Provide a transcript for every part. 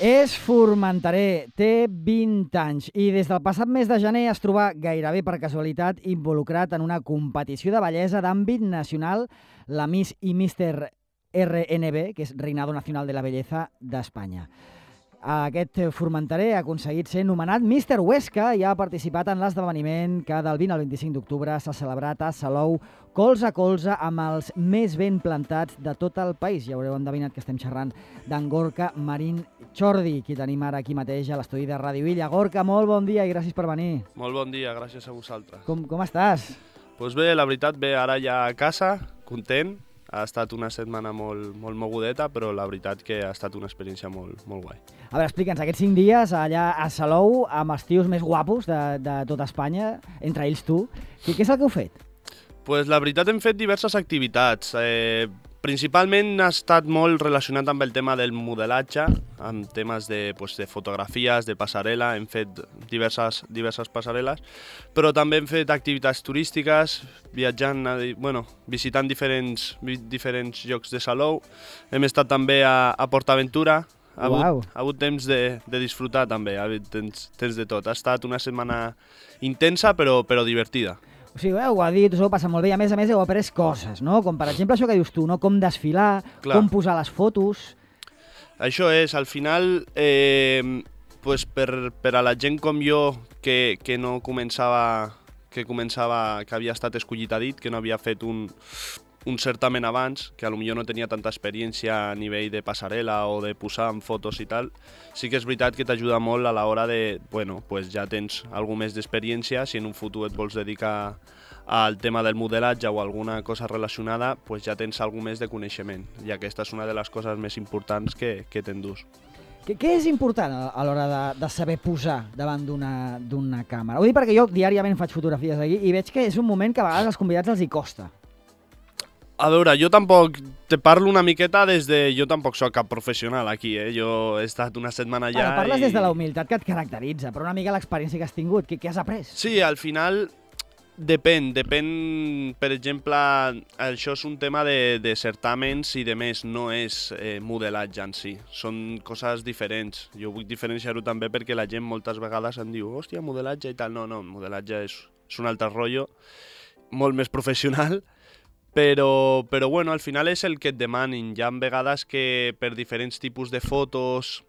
És formenterer, té 20 anys i des del passat mes de gener es troba gairebé per casualitat involucrat en una competició de bellesa d'àmbit nacional, la Miss i Mister RNB, que és Reinado Nacional de la Belleza d'Espanya. Aquest formenterer ha aconseguit ser nomenat Mister Huesca i ha participat en l'esdeveniment que del 20 al 25 d'octubre s'ha celebrat a Salou, colze a colze amb els més ben plantats de tot el país. Ja haureu endevinat que estem xerrant d'en Gorka Marín Chordi, qui tenim ara aquí mateix a l'estudi de Ràdio Illa. Gorka, molt bon dia i gràcies per venir. Molt bon dia, gràcies a vosaltres. Com estàs? Doncs bé, la veritat, bé, ara ja a casa, content. Ha estat una setmana molt mogudeta, però la veritat que ha estat una experiència molt guai. A veure, explica'ns, aquests 5 dies allà a Salou, amb els tios més guapos de tot Espanya, entre ells tu, què és el que heu fet? Pues la veritat hem fet diverses activitats. Principalment ha estat molt relacionat amb el tema del modelatge, amb temes de fotografies, de passarel·la, hem fet diverses passarel·les, però també hem fet activitats turístiques, viatjant, visitant diferents llocs de Salou. Hem estat també a PortAventura, ha hagut temps de disfrutar també, ha hagut temps de tot. Ha estat una setmana intensa però divertida. O sigui, ho ha dit, us ho passa molt bé, i a més heu après coses, no? Com per exemple això que dius tu, no? Com desfilar, clar, com posar les fotos. Això és, al final, per a la gent com jo que no començava, que havia estat escollit a dit, que no havia fet un certamen abans, que potser no tenia tanta experiència a nivell de passarel·la o de posar en fotos i tal, sí que és veritat que t'ajuda molt a l'hora de, ja tens alguna més d'experiència, si en un futur et vols dedicar al tema del modelatge o alguna cosa relacionada, ja tens alguna més de coneixement, i aquesta és una de les coses més importants que t'endús. Què és important a l'hora de saber posar davant d'una càmera? Ho dic perquè jo diàriament faig fotografies aquí i veig que és un moment que a vegades als convidats els hi costa. A veure, jo tampoc te parlo una miqueta jo tampoc soc cap professional aquí, Jo he estat una setmana allà parles des de la humilitat que et caracteritza, però una mica l'experiència que has tingut, què has après? Sí, al final depèn, per exemple, això és un tema de certàmens i de més, no és modelatge en si, són coses diferents. Jo vull diferenciar-ho també perquè la gent moltes vegades em diu hòstia, modelatge i tal. No, modelatge és un altre rotllo, molt més professional, però al final és el que et demanin. Hi ha vegades que per diferents tipus de fotos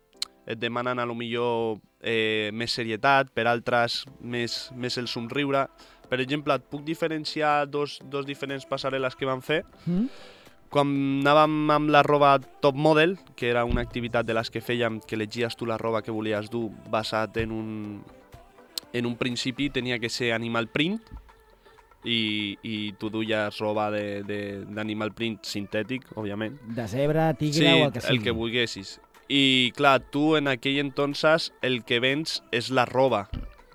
et demanen potser més serietat, per altres més el somriure. Per exemple, et puc diferenciar dos diferents passarel·les que vam fer. Quan anàvem amb la roba top model, que era una activitat de les que fèiem, que elegies tu la roba que volies dur basat en un principi tenia que ser animal print, i tu duies roba d'animal print sintètic, òbviament. De zebra, tigre o el que sigui. Sí, el que volguessis. I clar, tu en aquell entonces el que vens és la roba.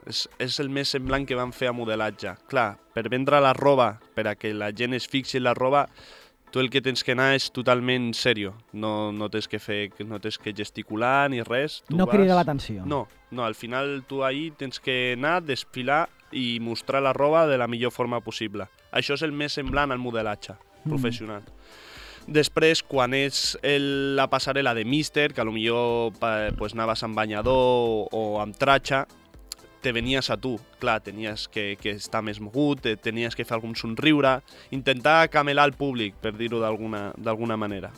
És el més semblant que van fer a modelatge. Clar, per vendre la roba, per a que la gent es fixi en la roba, tu el que tens que anar és totalment serio. No tens que gesticular ni res. No crida l'atenció. No, al final tu ahí tens que anar, desfilar i mostrar la roba de la millor forma possible. Això és el més semblant al modelatge professional. Després, quan és la passarel·la de Mister, que potser anaves amb banyador o amb tratxa, te venies a tu. Clar, tenies que estar més mogut, tenies que fer algun somriure, intentar camelar el públic, per dir-ho d'alguna manera.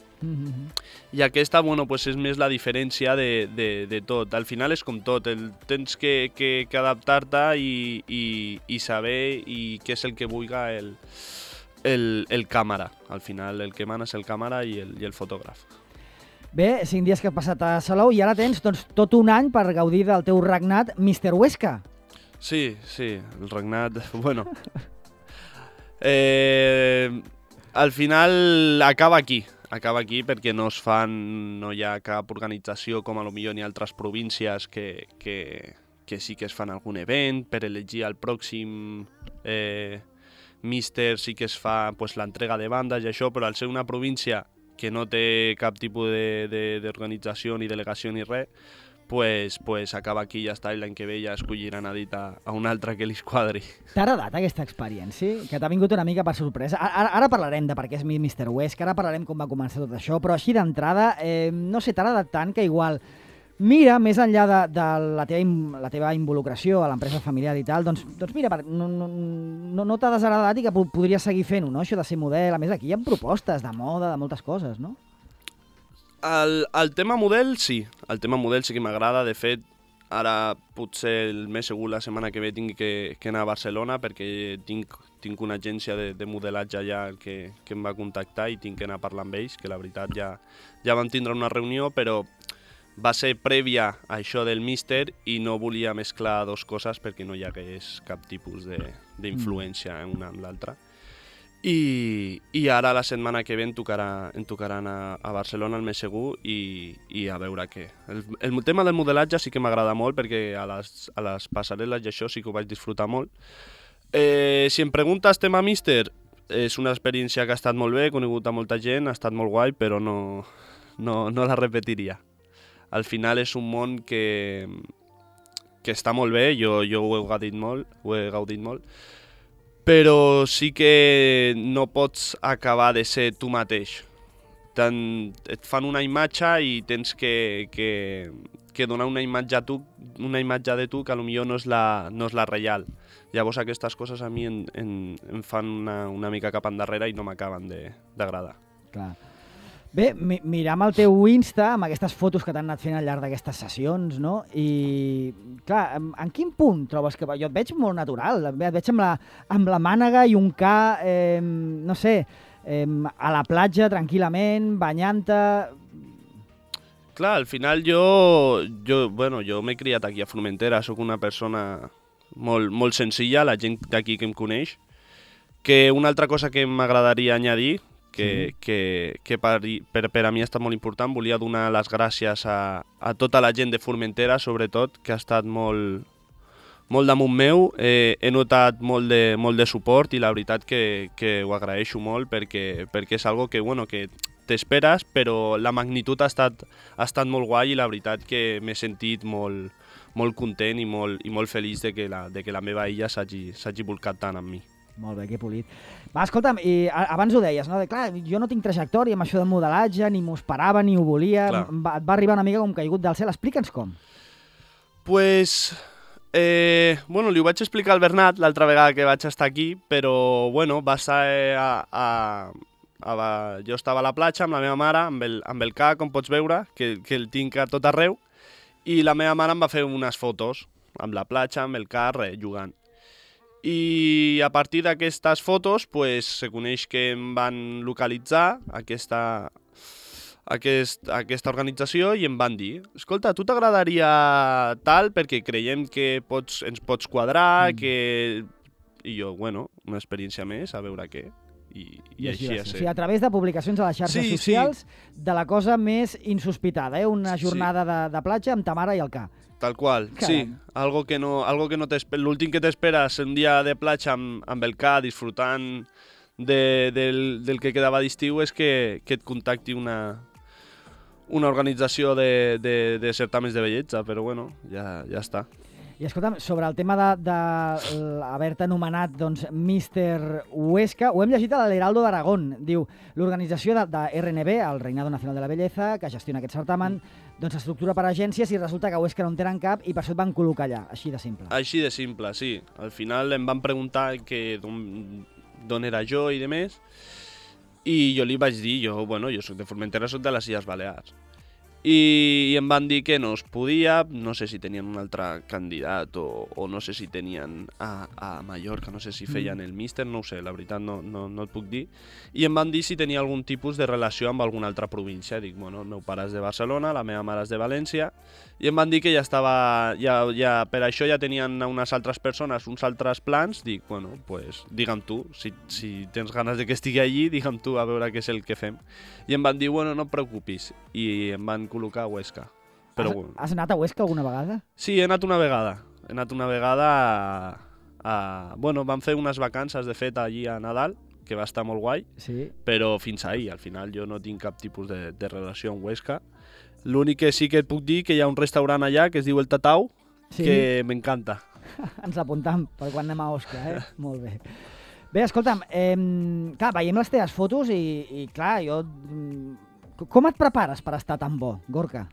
I aquesta, és més la diferència de tot. Al final és com tot, tens que adaptar-te i saber què és el que vulga el càmera. Al final el que mana és el càmera i el fotògraf. Bé, 5 dies que has passat a Salou i ara tens tot un any per gaudir del teu regnat Mister Huesca. Sí, el regnat, al final acaba aquí perquè no hi ha cap organització com a lo millor ni altres províncies que sí que es fan algun event per elegir el pròxim Mister, sí que es fa l'entrega de bandes i això, però al ser una província que no té cap tipus d'organització ni delegació ni res, pues acaba aquí i ja està, i l'any que ve ja escolliran a dit a un altre que li quadri. T'ha agradat aquesta experiència? Que t'ha vingut una mica per sorpresa? Ara parlarem de per què és Mister Huesca, ara parlarem com va començar tot això, però així d'entrada, no sé, t'ha agradat tant que igual mira, més enllà de la teva involucració a l'empresa familiar i tal, doncs mira, no t'ha desagradat i que podries seguir fent-ho, no? Això de ser model. A més, aquí hi ha propostes de moda, de moltes coses, no? El tema model, sí. El tema model sí que m'agrada. De fet, ara potser el mes segur la setmana que ve tinc que anar a Barcelona perquè tinc una agència de modelatge allà que em va contactar i tinc que anar a parlar amb ells, que la veritat ja vam tindre una reunió, però va ser prèvia a això del míster i no volia mesclar dues coses perquè no hi hagués cap tipus d'influència una amb l'altra. I ara la setmana que ve em tocarà anar a Barcelona el mes segur i a veure què. El tema del modelatge sí que m'agrada molt perquè a les passarel·les i això sí que ho vaig disfrutar molt. Si em preguntes tema míster, és una experiència que ha estat molt bé, he conegut a molta gent, ha estat molt guai, però no la repetiria. Al final és un món que està molt bé, jo ho he gaudit molt, però sí que no pots acabar de ser tu mateix. Et fan una imatge i tens que donar una imatge de tu que potser no és la real. Llavors aquestes coses a mi em fan una mica cap endarrere i no m'acaben d'agradar. Clar. Bé, miram el teu Insta amb aquestes fotos que t'han anat fent al llarg d'aquestes sessions, no? I, clar, en quin punt trobes que... Jo et veig molt natural, et veig amb la mànega i un ca, no sé, a la platja tranquil·lament, banyant-te... Clar, al final jo m'he criat aquí a Formentera, sóc una persona molt senzilla, la gent d'aquí que em coneix, que una altra cosa que m'agradaria añadir, que per a mi ha estat molt important, volia donar les gràcies a tota la gent de Formentera, sobretot, que ha estat molt damunt meu, he notat molt de suport i la veritat que ho agraeixo molt perquè és algo que t'esperes, però la magnitud ha estat molt guai i la veritat que m'he sentit molt content i molt feliç de que la meva illa s'hagi volcat tant amb mi. Molt bé, que polit. Va, escolta'm, i abans ho deies, no? Clar, jo no tinc trajectòria amb això del modelatge, ni m'ho esperava, ni ho volia, et va arribar una mica com caigut del cel. Explica'ns com. Pues, li ho vaig explicar al Bernat l'altra vegada que vaig estar aquí, però, va ser jo estava a la platja amb la meva mare, amb el ca, com pots veure, que el tinc a tot arreu, i la meva mare em va fer unes fotos amb la platja, amb el ca, jugant. I a partir d'aquestes fotos se coneix que em van localitzar aquesta organització i em van dir: escolta, tu t'agradaria tal perquè creiem que ens pots quadrar, I jo, una experiència més, a veure què. I així ha estat. O sigui, a través de publicacions a les xarxes socials, de la cosa més insospitada, una jornada de platja amb ta mare i el ca. Tal qual, caram. Sí. Algo que no l'últim que t'esperes un dia de platja amb el ca, disfrutant del que quedava d'estiu, és que et contacti una organització de certàmens de bellesa, però ja està. I escolta'm, sobre el tema d'haver-te anomenat Míster Huesca, ho hem llegit a l'Heraldo d'Aragón. Diu, l'organització de RNB, el Reinado Nacional de la Belleza, que gestiona aquest certamen, s'estructura per agències i resulta que a Huesca no en tenen cap i per això et van col·locar allà, així de simple. Així de simple, sí. Al final em van preguntar d'on era jo i de més, i jo li vaig dir, jo soc de Formentera, soc de les Illes Balears. I em van dir que no es podia, no sé si tenien un altre candidat o no sé si tenien a Mallorca, no sé si feien el míster, no ho sé, la veritat no et puc dir. I em van dir si tenia algun tipus de relació amb alguna altra província. Dic, el meu pare és de Barcelona, la meva mare és de València, i em van dir que ja estava, per això ja tenien unes altres persones, uns altres plans. Dic, digue'm tu, si tens ganes de que estigui allí, digue'm tu a veure què és el que fem. I em van dir, no et preocupis, i em van col·locar a Huesca. Però, has anat a Huesca alguna vegada? Sí, he anat una vegada. Vam fer unes vacances, de fet, allí a Nadal, que va estar molt guai, sí. Però fins ahí, al final jo no tinc cap tipus de relació amb Huesca. L'únic que sí que et puc dir que hi ha un restaurant allà que es diu El Tatau, sí. Que m'encanta. Ens l'apuntam per quan anem a Osca, Molt bé. Bé, escolta'm, clar, veiem les teves fotos i clar, jo... Com et prepares per estar tan bo, Gorka?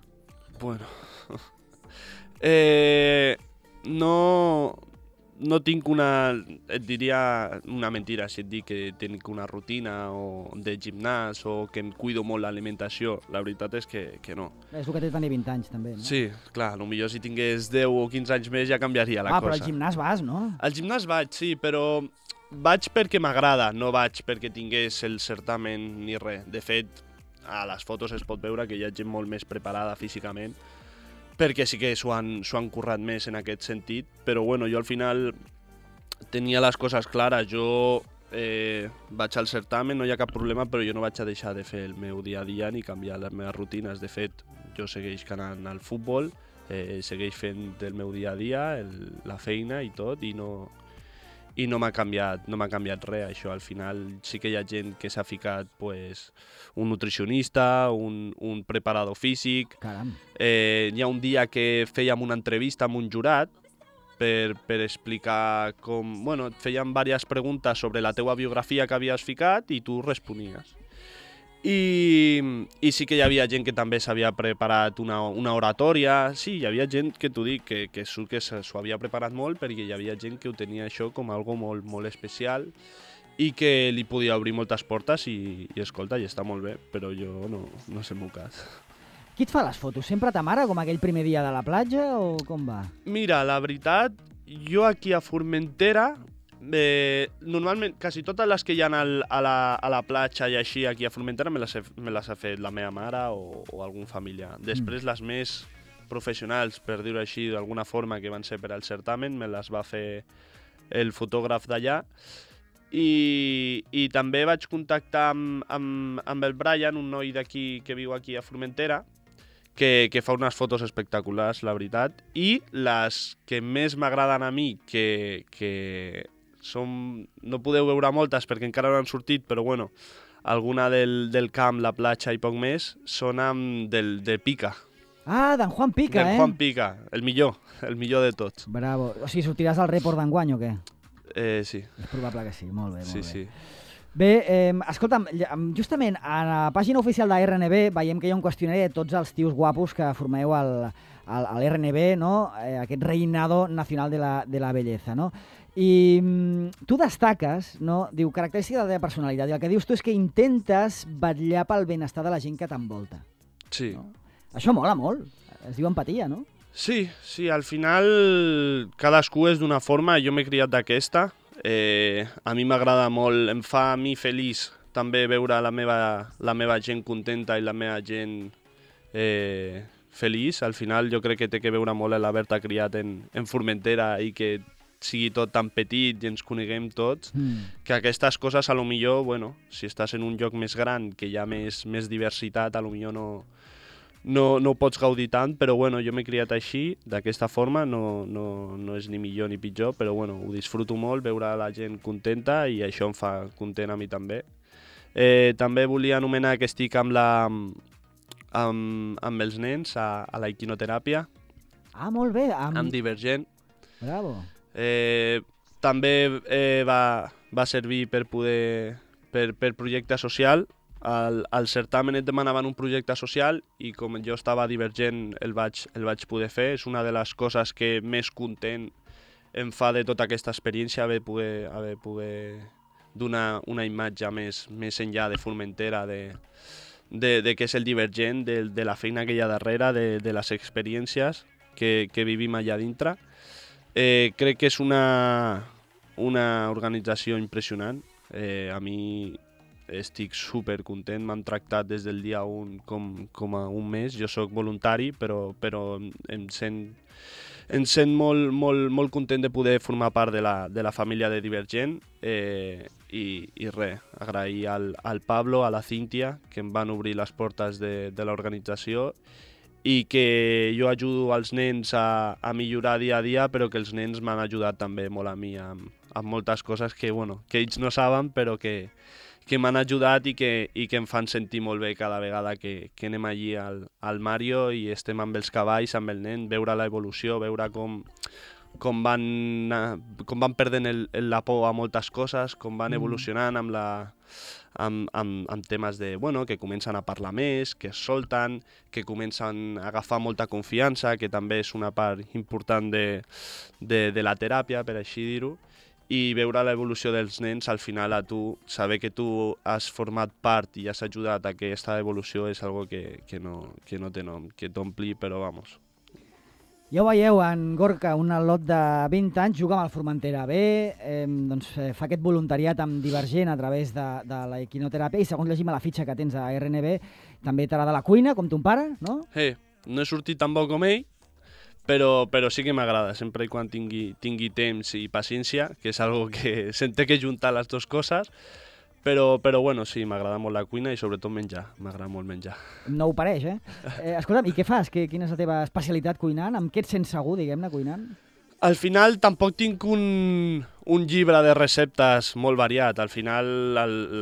No tinc et diria una mentira si et dic que tinc una rutina de gimnàs o que em cuido molt l'alimentació. La veritat és que no. És el que té tenir 20 anys, també, no? Sí, clar, potser si tingués 10 o 15 anys més ja canviaria la cosa. Però al gimnàs vas, no? Al gimnàs vaig, sí, però vaig perquè m'agrada, no vaig perquè tingués el certamen ni res. De fet, a les fotos es pot veure que hi ha gent molt més preparada físicament, perquè sí que s'ho han currat més en aquest sentit, però bueno, jo al final tenia les coses clares. Jo vaig al certamen, no hi ha cap problema, però jo no vaig a deixar de fer el meu dia a dia ni canviar les meves rutines. De fet, jo segueix anant al futbol, segueix fent el meu dia a dia, la feina i tot, i no m'ha canviat res. Això al final sí que hi ha gent que s'ha ficat un nutricionista, un preparador físic. Caram. Hi ha un dia que fèiem una entrevista amb un jurat per explicar com... Bueno, et feien diverses preguntes sobre la teua biografia que havies ficat i tu responies. I sí que hi havia gent que també s'havia preparat una oratòria. Sí, hi havia gent que t'ho dic, que s'ho havia preparat molt, perquè hi havia gent que ho tenia això com algo molt, molt especial i que li podia obrir moltes portes i escolta, i està molt bé, però jo no sé el meu cas. Qui et fa les fotos? Sempre ta mare, com aquell primer dia de la platja, o com va? Mira, la veritat, jo aquí a Formentera, normalment, quasi totes les que hi ha a la platja i així aquí a Formentera me les ha fet la meva mare o algun familiar. Després les més professionals, per dir-ho així d'alguna forma, que van ser per al certamen, me les va fer el fotògraf d'allà. I també vaig contactar amb el Brian, un noi d'aquí que viu aquí a Formentera, que fa unes fotos espectaculars, la veritat. I les que més m'agraden a mi, que no podeu veure moltes perquè encara no han sortit, però bueno, alguna del camp, la platja i poc més, són de Pica. Ah, d'en Juan Pica, d'en Juan Pica, el millor de tots. Bravo. O sigui, sortiràs al report d'enguany o què? Sí. És probable que sí, molt bé, molt bé. Sí. Bé, escolta'm, justament a la pàgina oficial de RNB veiem que hi ha un qüestionari de tots els tios guapos que formeu a l'RNB, no? Aquest reinado nacional de la belleza, no? I tu destaques, no? Diu, característica de la teva personalitat, i el que dius tu és que intentes vetllar pel benestar de la gent que t'envolta. Sí. No? Això mola molt, es diu empatia, no? Sí, al final cadascú és d'una forma, jo m'he criat d'aquesta. A mi m'agrada molt, em fa a mi feliç també veure la meva gent contenta i la meva gent feliç. Al final jo crec que té que veure molt l'haver-te criat en Formentera i que sigui tot tan petit i ens coneguem tots, que aquestes coses a lo millor, bueno, si estàs en un lloc més gran, que hi ha més diversitat, a lo millor no pots gaudir tant, però bueno, jo m'he criat així, d'aquesta forma, no és ni millor ni pitjor, però bueno, ho disfruto molt, veure la gent contenta i això em fa content a mi també. També volia anomenar que estic amb els nens a la equinoteràpia. Ah, molt bé. Amb Divergent. Bravo. També va servir per projecte social. Al certamen et demanaven un projecte social i com jo estava Divergent el vaig poder fer. És una de les coses que més content em fa de tota aquesta experiència, haver poder donar una imatge més enllà de Formentera, de què és el Divergent, de la feina que hi ha darrere, de les experiències que vivim allà dintre. Crec que és una organització impressionant. A mi estic supercontent, m'han tractat des del dia 1 com a un mes. Jo sóc voluntari, però em sent molt content de poder formar part de la família de Divergent. I res, agrair al Pablo, a la Cíntia, que em van obrir les portes de l'organització i que jo ajudo els nens a millorar dia a dia, però que els nens m'han ajudat també molt a mi amb moltes coses que ells no saben, però que m'han ajudat i que em fan sentir molt bé cada vegada que anem allí al Mario i estem amb els cavalls, amb el nen, veure l'evolució, veure com com van perdent la por a moltes coses, com van evolucionant amb temes de, bueno, que comencen a parlar més, que es solten, que comencen a agafar molta confiança, que també és una part important de la teràpia, per així dir-ho, i veure l'evolució dels nens, al final a tu, saber que tu has format part i has ajudat a que aquesta evolució és algo que no té nom, que t'ompli, però vamos. Ja ho veieu, en Gorka, un al·lot de 20 anys, juga amb el Formentera B, fa aquest voluntariat amb Divergent a través de la equinoteràpia i segons llegim a la fitxa que tens a RNB, també t'agrada la cuina, com ton pare, no? No he sortit tan bo com ell, però sí que m'agrada, sempre i quan tingui temps i paciència, que és algo que se'n té que juntar les dues coses, però bueno, sí, m'agrada molt la cuina i sobretot menjar, m'agrada molt menjar. No ho pareix, escolta'm, i què fas? Quina és la teva especialitat cuinant? Amb què et sents segur, diguem-ne, cuinant? Al final tampoc tinc un llibre de receptes molt variat. Al final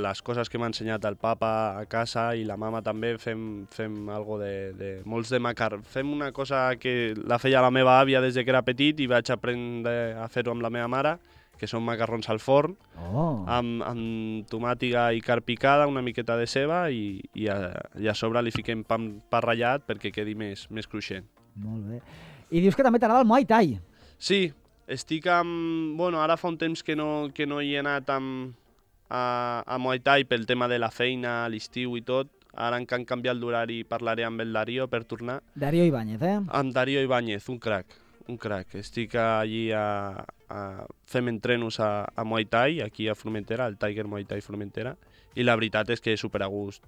les coses que m'ha ensenyat el papa a casa i la mama també fem algo de molts de macarró. Fem una cosa que la feia la meva àvia des que era petit i vaig aprendre a fer-ho amb la meva mare, que són macarrons al forn, amb tomàtiga i carn picada, una miqueta de ceba i a sobre li fiquem pa ratllat perquè quedi més cruixent. Molt bé. I dius que també t'agrada el Muay Thai. Sí, estic amb... Bueno, ara fa un temps que no hi he anat a Muay Thai pel tema de la feina, l'estiu i tot. Ara que han canviat l'horari parlaré amb el Darío per tornar. Darío Ibáñez, Amb Darío Ibáñez, un crac. Estic allí fem entrenos a Muay Thai, aquí a Formentera, al Tiger Muay Thai Formentera, i la veritat és que és super a gust.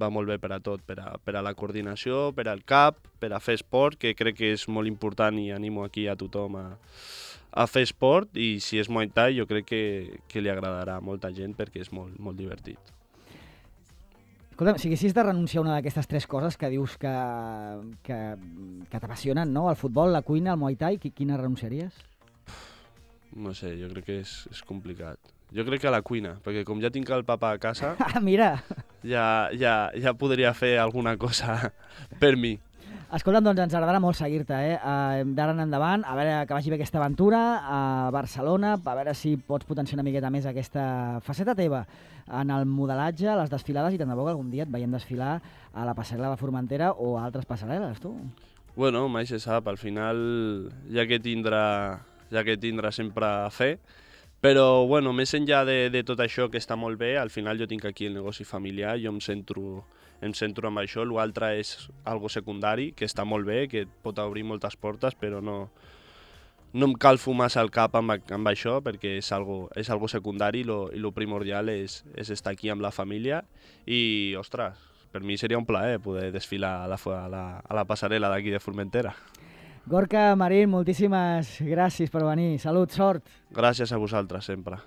Va molt bé per a tot, per a la coordinació, per al cap, per a fer esport, que crec que és molt important i animo aquí a tothom a fer esport, i si és Muay Thai jo crec que li agradarà a molta gent perquè és molt, molt divertit. Escolta'm, si haguessis de renunciar a una d'aquestes tres coses que dius que t'apassionen, no? El futbol, la cuina, el Muay Thai, quina renunciaries? No sé, jo crec que és complicat. Jo crec que a la cuina, perquè com ja tinc el papa a casa, mira! ja podria fer alguna cosa per mi. Escolta'm, doncs ens agradarà molt seguir-te, d'ara en endavant, a veure que vagi bé aquesta aventura a Barcelona, a veure si pots potenciar una miqueta més aquesta faceta teva en el modelatge, a les desfilades, i tant de bo que algun dia et veiem desfilar a la passarel·la de Formentera o a altres passarel·les, tu. Bueno, mai se sap, al final ja que tindrà sempre a fer, però bueno, més enllà de tot això que està molt bé, al final jo tinc aquí el negoci familiar, jo em centro amb això, l'altre és algo secundari, que està molt bé, que et pot obrir moltes portes, però no em calfo massa el cap amb això, perquè és algo secundari i lo primordial és estar aquí amb la família i, ostres, per mi seria un plaer poder desfilar a la passarel·la d'aquí de Formentera. Gorka Marín, moltíssimes gràcies per venir. Salut, sort. Gràcies a vosaltres, sempre.